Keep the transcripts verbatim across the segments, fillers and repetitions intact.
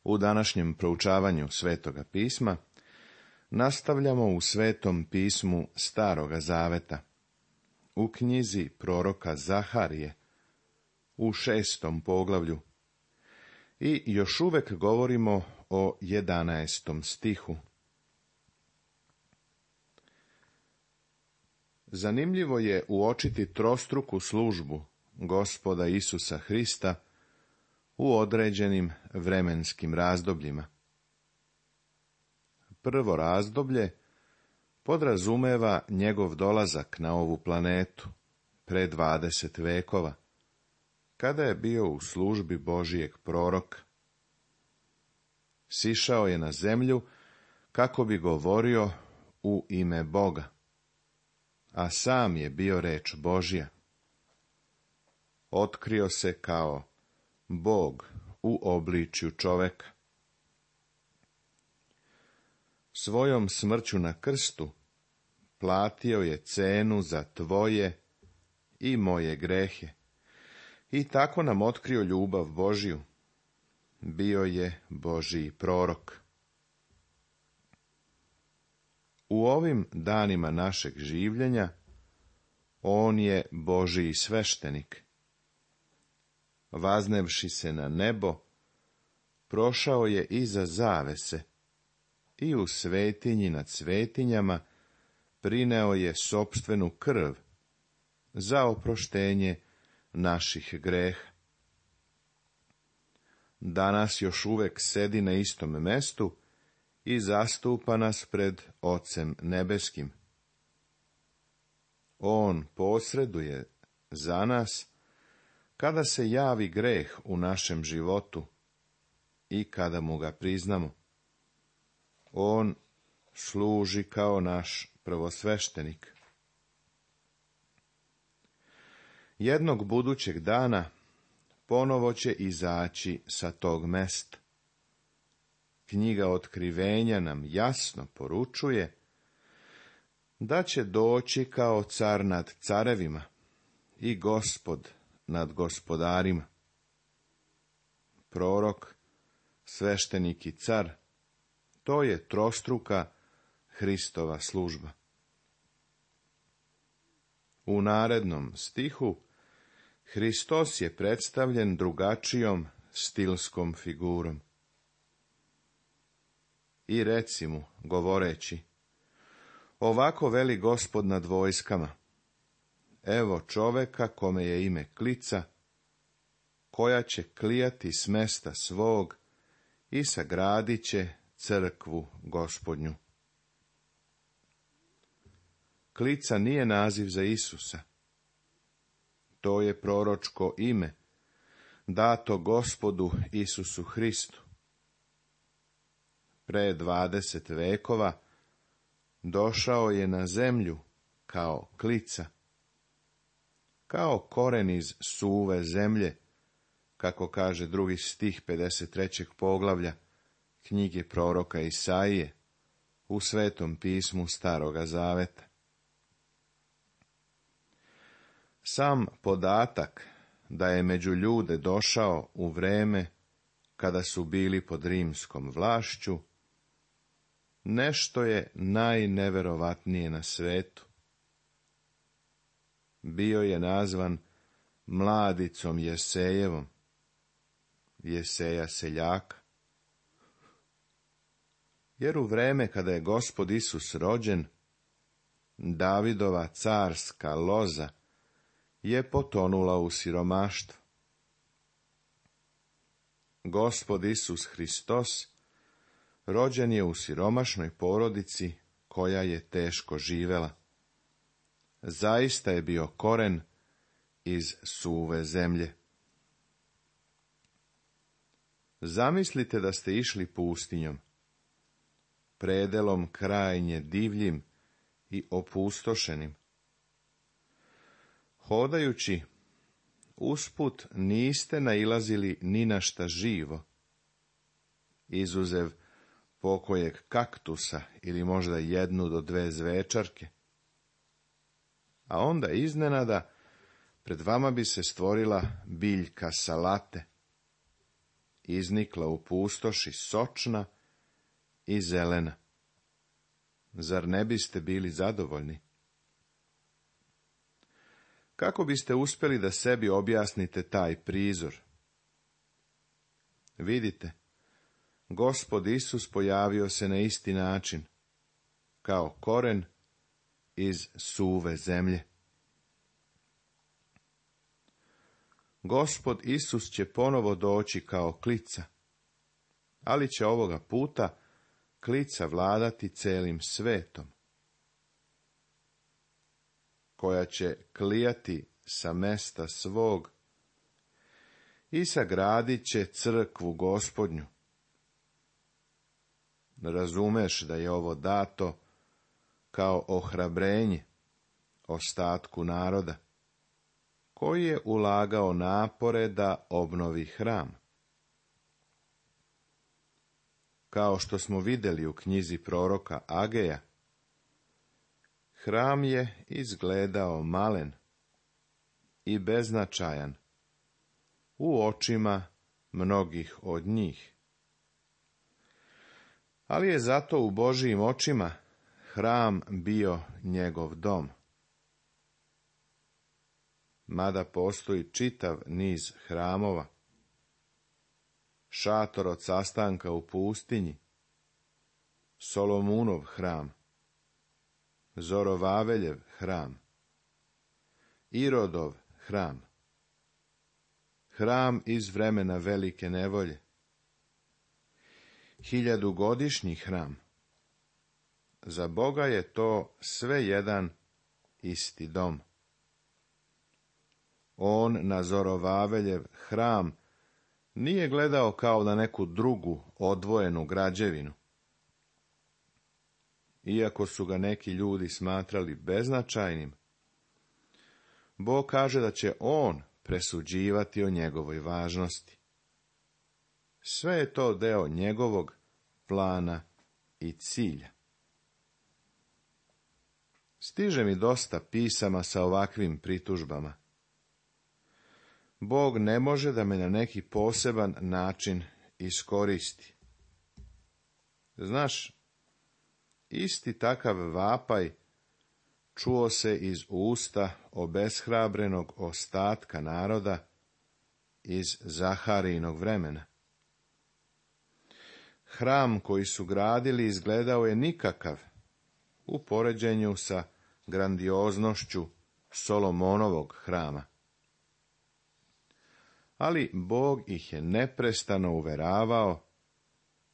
U današnjem proučavanju Svetoga pisma nastavljamo u Svetom pismu Staroga zaveta, u knjizi proroka Zaharije, u šestom poglavlju, i još uvek govorimo o jedanaestom stihu. Zanimljivo je uočiti trostruku službu Gospoda Isusa Hrista u određenim vremenskim razdobljima. Prvo razdoblje podrazumeva njegov dolazak na ovu planetu pre dvadeset vekova, kada je bio u službi Božijeg proroka. Sišao je na zemlju kako bi govorio u ime Boga, a sam je bio reč Božja. Otkrio se kao Bog u obličju čoveka. Svojom smrću na krstu platio je cenu za tvoje i moje grehe i tako nam otkrio ljubav Božju. Bio je Božji prorok. U ovim danima našeg življenja on je Božji sveštenik. Vaznevši se na nebo, prošao je iza zavese i u svetinji nad svetinjama prineo je sopstvenu krv za oproštenje naših greha. Danas još uvek sedi na istom mestu i zastupa nas pred Ocem nebeskim. On posreduje za nas kada se javi greh u našem životu i kada mu ga priznamo. On služi kao naš prvosveštenik. Jednog budućeg dana ponovo će izaći sa tog mesta. Knjiga Otkrivenja nam jasno poručuje da će doći kao car nad carevima i Gospod nad gospodarima. Prorok, sveštenik i car, to je trostruka Hristova služba. U narednom stihu Hristos je predstavljen drugačijom stilskom figurom. I reci mu, govoreći, ovako veli Gospod nad vojskama, evo čoveka kome je ime Klica, koja će klijati s mesta svog i sagradit će crkvu Gospodnju. Klica nije naziv za Isusa. To je proročko ime, dato Gospodu Isusu Hristu. Pre dvadeset vekova došao je na zemlju kao klica, kao koren iz suve zemlje, kako kaže drugi stih pedeset trećeg poglavlja knjige proroka Isaije u Svetom pismu Staroga zaveta. Sam podatak da je među ljude došao u vreme kada su bili pod rimskom vlašću, nešto je najneverovatnije na svetu. Bio je nazvan mladicom Jesejevom, Jeseja seljaka. Jer u vreme kada je Gospod Isus rođen, Davidova carska loza je potonula u siromaštvo. Gospod Isus Hristos rođen je u siromašnoj porodici koja je teško živela. Zaista je bio koren iz suve zemlje. Zamislite da ste išli pustinjom, predelom krajnje divljim i opustošenim. Hodajući, usput niste nailazili ni na šta živo, izuzev pokojeg kaktusa ili možda jednu do dve zvečarke. A onda iznenada pred vama bi se stvorila biljka salate. iznikla u pustoši sočna i zelena. Zar ne biste bili zadovoljni? Kako biste uspjeli da sebi objasnite taj prizor? Vidite, Gospod Isus pojavio se na isti način, kao koren iz suve zemlje. Gospod Isus će ponovo doći kao klica, ali će ovoga puta klica vladati celim svetom, koja će klijati sa mesta svog i sagradit će crkvu Gospodnju. Razumeš da je ovo dato kao ohrabrenje ostatku naroda, koji je ulagao napore da obnovi hram. Kao što smo vidjeli u knjizi proroka Ageja, hram je izgledao malen i beznačajan u očima mnogih od njih. Ali je zato u Božijim očima hram bio njegov dom. Mada postoji čitav niz hramova, šator od sastanka u pustinji, Solomunov hram, Zorovaveljev hram, Irodov hram, hram iz vremena velike nevolje, hiljadugodišnji hram. Za Boga je to sve jedan isti dom. On na Zorovaveljev hram nije gledao kao na neku drugu odvojenu građevinu. Iako su ga neki ljudi smatrali beznačajnim, Bog kaže da će on presuđivati o njegovoj važnosti. Sve je to deo njegovog plana i cilja. Stiže mi dosta pisama sa ovakvim pritužbama. Bog ne može da me na neki poseban način iskoristi. Znaš, isti takav vapaj čuo se iz usta obeshrabrenog ostatka naroda iz Zaharijinog vremena. Hram koji su gradili izgledao je nikakav u poređenju sa grandioznošću Solomonovog hrama. Ali Bog ih je neprestano uveravao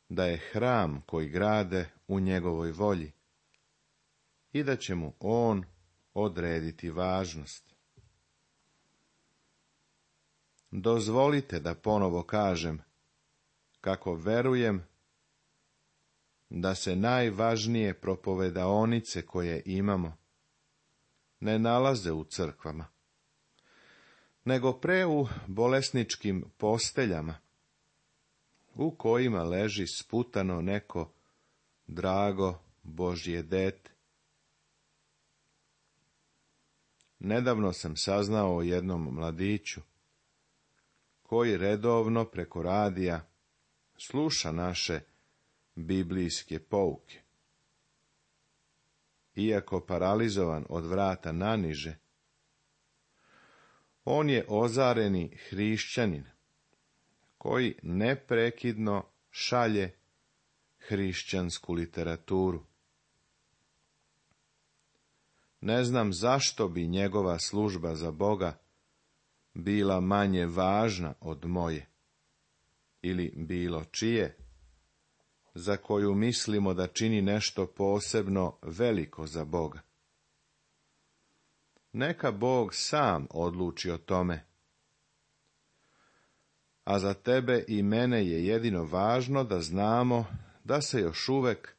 da je hram koji grade u njegovoj volji i da će mu on odrediti važnost. Dozvolite da ponovo kažem kako verujem da se najvažnije propovedaonice koje imamo ne nalaze u crkvama, nego pre u bolesničkim posteljama, u kojima leži sputano neko drago Božje dete. Nedavno sam saznao o jednom mladiću, koji redovno preko radija sluša naše biblijske pouke. Iako paralizovan od vrata naniže, on je ozareni hrišćanin, koji neprekidno šalje hrišćansku literaturu. Ne znam zašto bi njegova služba za Boga bila manje važna od moje, ili bilo čije, za koju mislimo da čini nešto posebno veliko za Boga. Neka Bog sam odluči o tome. A za tebe i mene je jedino važno da znamo da se još uvek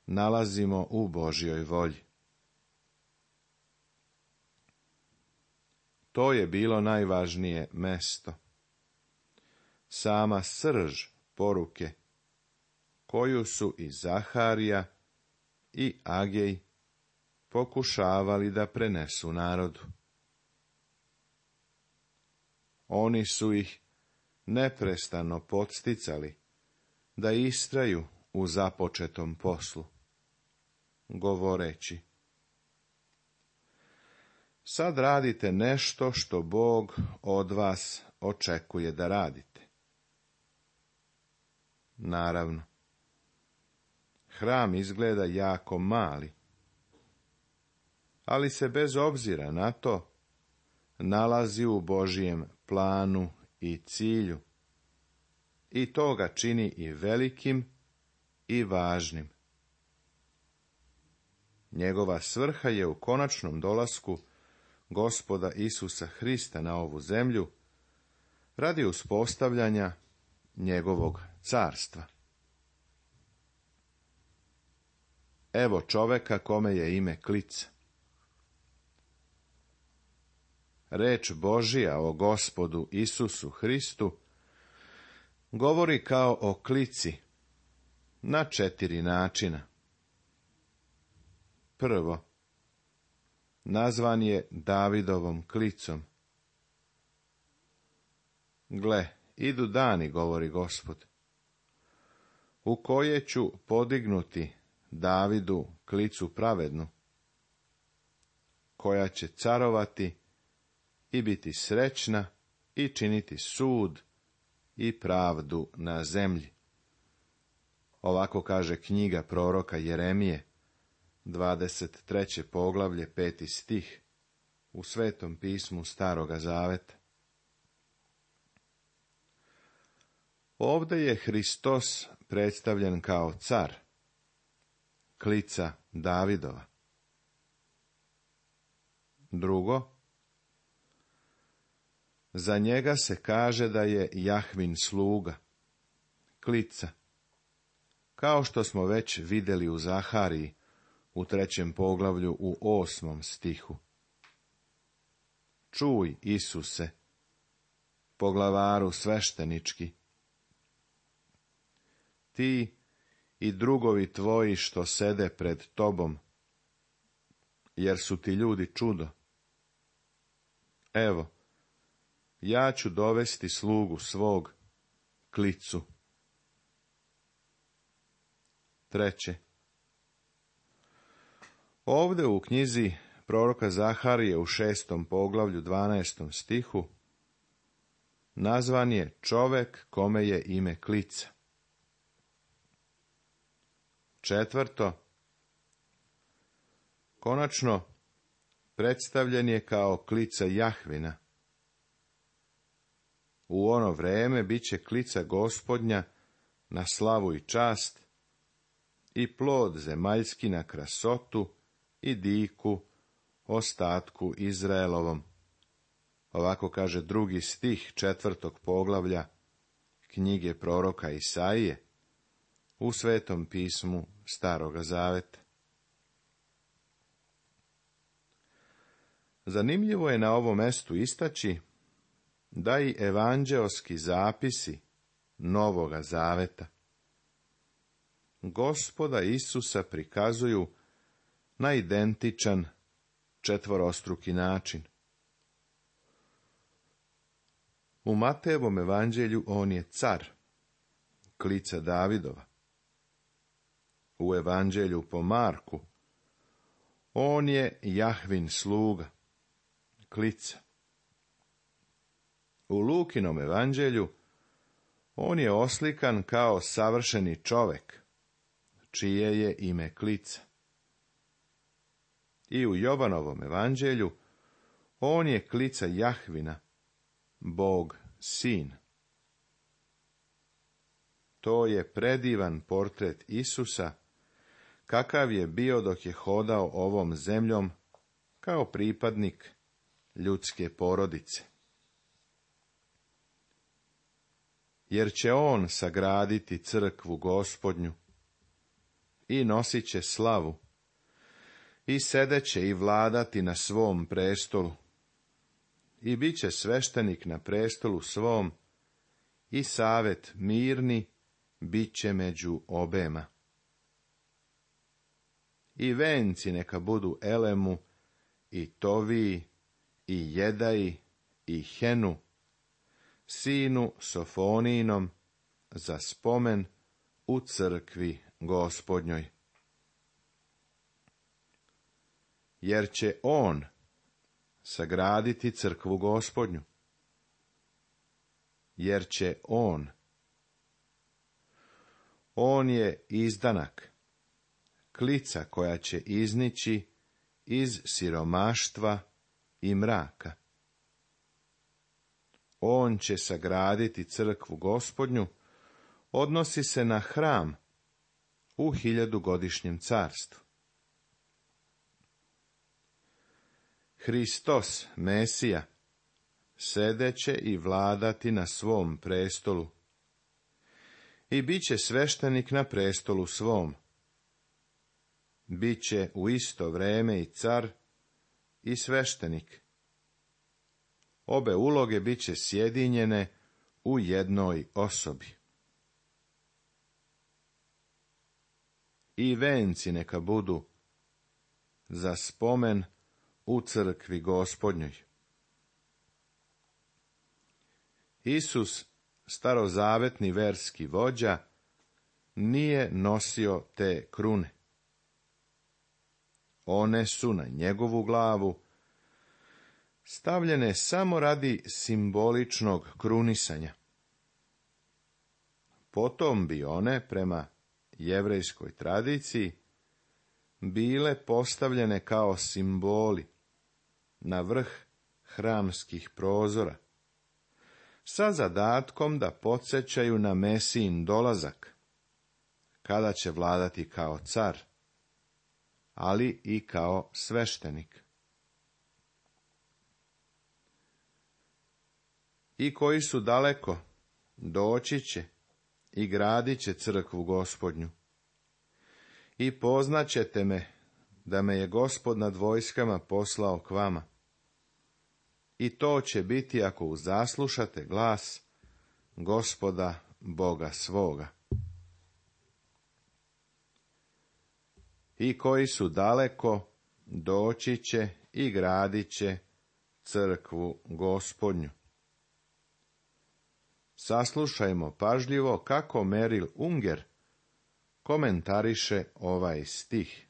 nalazimo u Božjoj volji. To je bilo najvažnije mesto. Sama srž poruke, koju su i Zaharija i Agej pokušavali da prenesu narodu. Oni su ih neprestano podsticali da istraju u započetom poslu, govoreći: sad radite nešto što Bog od vas očekuje da radite. Naravno, hram izgleda jako mali, ali se bez obzira na to nalazi u Božijem planu i cilju, i to ga čini i velikim i važnim. Njegova svrha je u konačnom dolasku Gospoda Isusa Hrista na ovu zemlju radi uspostavljanja njegovog carstva. Evo čoveka kome je ime Klica. Reč Božija o Gospodu Isusu Hristu govori kao o klici na četiri načina. Prvo, nazvan je Davidovom klicom. Gle, idu dani, govori Gospod, u koje ću podignuti Davidu klicu pravednu, koja će carovati i biti srećna i činiti sud i pravdu na zemlji. Ovako kaže knjiga proroka Jeremije, dvadeset treće poglavlje, peti stih, u Svetom pismu Staroga Zaveta. Ovdje je Hristos predstavljen kao car, klica Davidova. Drugo, za njega se kaže da je Jahvin sluga, klica, kao što smo već vidjeli u Zahariji, u trećem poglavlju u osmom stihu. Čuj, Isuse, poglavaru sveštenički, ti i drugovi tvoji što sede pred tobom, jer su ti ljudi čudo. Evo, ja ću dovesti slugu svog, klicu. Treće, ovdje u knjizi proroka Zaharije u šestom poglavlju dvanaestom stihu nazvan je čovek kome je ime Klica. Četvrto, konačno predstavljen je kao klica Jahvina. U ono vreme bit će klica Gospodnja na slavu i čast i plod zemaljski na krasotu i diku ostatku Izraelovom. Ovako kaže drugi stih četvrtog poglavlja knjige proroka Isaije u Svetom pismu Staroga Zaveta. Zanimljivo je na ovom mestu istaći da i evanđeoski zapisi Novoga Zaveta Gospoda Isusa prikazuju na identičan četvorostruki način. U Matejevom evanđelju on je car, klica Davidova. U evanđelju po Marku on je Jahvin sluga, klica. U Lukinom evanđelju on je oslikan kao savršeni čovek, čije je ime Klica. I u Jovanovom evanđelju on je klica Jahvina, Bog sin. To je predivan portret Isusa, kakav je bio dok je hodao ovom zemljom kao pripadnik ljudske porodice. Jer će on sagraditi crkvu Gospodnju i nosit će slavu i sedeće i vladati na svom prestolu i bit će sveštenik na prestolu svom i savet mirni bit će među obema. I venci neka budu Elemu i Toviji i Jedaji i Henu, sinu Sofonijinom, za spomen u crkvi Gospodnjoj. Jer će on sagraditi crkvu Gospodnju. Jer će on. On je izdanak, klica koja će iznići iz siromaštva i mraka. On će sagraditi crkvu Gospodnju, odnosi se na hram u hiljadugodišnjem carstvu. Hristos, Mesija, sedeće i vladati na svom prestolu. I bit će sveštenik na prestolu svom. Biće u isto vreme i car i sveštenik. Obe uloge bit će sjedinjene u jednoj osobi. I venci neka budu za spomen u crkvi Gospodnjoj. Isus, starozavetni verski vođa, nije nosio te krune. One su na njegovu glavu stavljene samo radi simboličnog krunisanja. Potom bi one, prema jevrejskoj tradiciji, bile postavljene kao simboli na vrh hramskih prozora, sa zadatkom da podsjećaju na Mesijin dolazak, kada će vladati kao car, ali i kao sveštenik. I koji su daleko, doći će i gradit će crkvu Gospodnju. I poznaćete me, da me je Gospod nad vojskama poslao k vama. I to će biti ako uzaslušate glas Gospoda Boga svoga. I koji su daleko, doći će i gradit će crkvu Gospodnju. Saslušajmo pažljivo kako Meril Unger komentariše ovaj stih.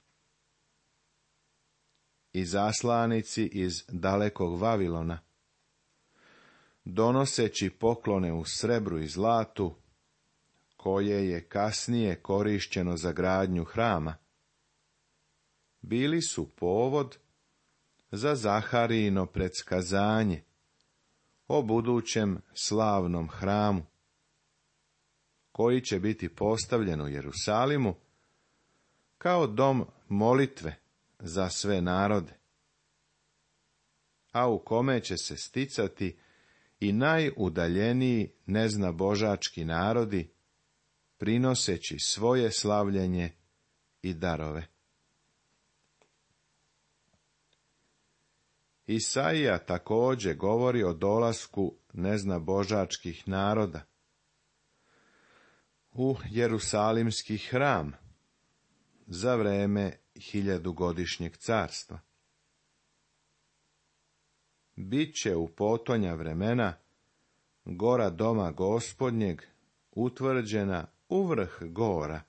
I zaslanici iz dalekog Vavilona, donoseći poklone u srebru i zlatu, koje je kasnije korišćeno za gradnju hrama, bili su povod za Zaharijino predskazanje o budućem slavnom hramu, koji će biti postavljen u Jerusalimu kao dom molitve za sve narode, a u kome će se sticati i najudaljeniji neznabožački narodi, prinoseći svoje slavljenje i darove. Isaija također govori o dolasku neznabožačkih naroda u Jerusalimski hram za vreme hiljadugodišnjeg carstva. Biće u potonja vremena gora doma Gospodnjeg utvrđena u vrh gora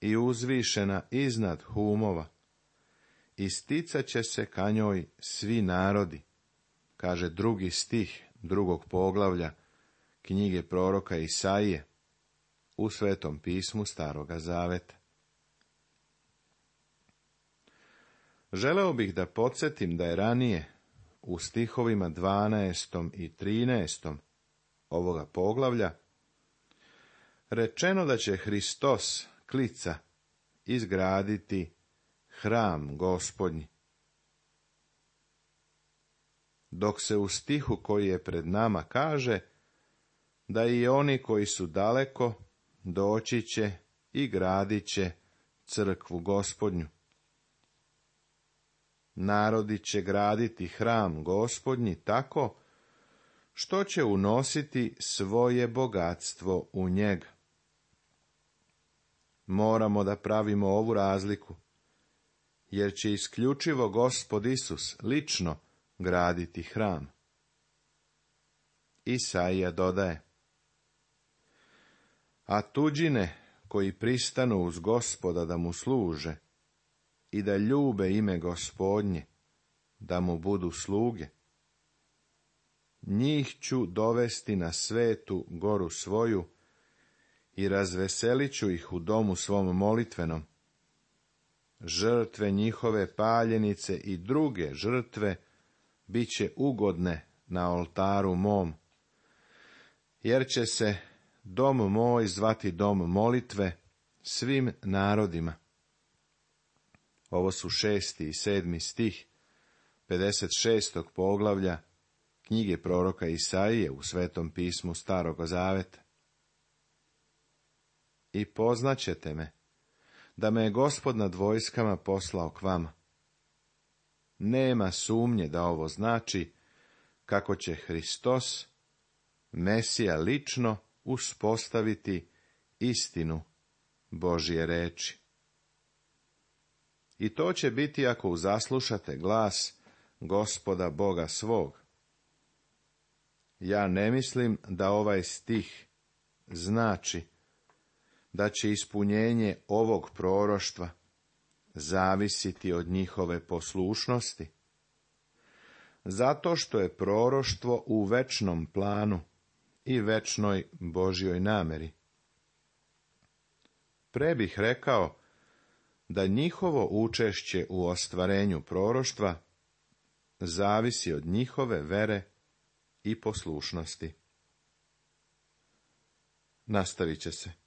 i uzvišena iznad humova, i sticat će se ka njoj svi narodi, kaže drugi stih drugog poglavlja knjige proroka Isaije u Svetom pismu Staroga Zaveta. Želeo bih da podsjetim da je ranije u stihovima dvanaestom i trinaestom ovoga poglavlja rečeno da će Hristos, klica, izgraditi hram Gospodnji. Dok se u stihu koji je pred nama kaže da i oni koji su daleko doći će i gradit će crkvu Gospodnju. Narodi će graditi hram Gospodnji tako što će unositi svoje bogatstvo u njega. Moramo da pravimo ovu razliku, jer će isključivo Gospod Isus lično graditi hram. Isaija dodaje: a tuđine koji pristanu uz Gospoda da mu služe i da ljube ime Gospodnje, da mu budu sluge, njih ću dovesti na svetu goru svoju i razveselit ću ih u domu svom molitvenom. Žrtve njihove paljenice i druge žrtve bit će ugodne na oltaru mom, jer će se dom moj zvati dom molitve svim narodima. Ovo su šesti i sedmi stih pedeset šestog poglavlja knjige proroka Isaije u Svetom pismu Staroga zaveta. I poznaćete me, da me je Gospod nad vojskama poslao k vama. Nema sumnje da ovo znači kako će Hristos, Mesija, lično uspostaviti istinu Božje reči. I to će biti ako uzaslušate glas Gospoda Boga svog. Ja ne mislim da ovaj stih znači da će ispunjenje ovog proroštva zavisiti od njihove poslušnosti, zato što je proroštvo u večnom planu i večnoj Božjoj nameri. Pre bih rekao da njihovo učešće u ostvarenju proroštva zavisi od njihove vere i poslušnosti. Nastavit će se.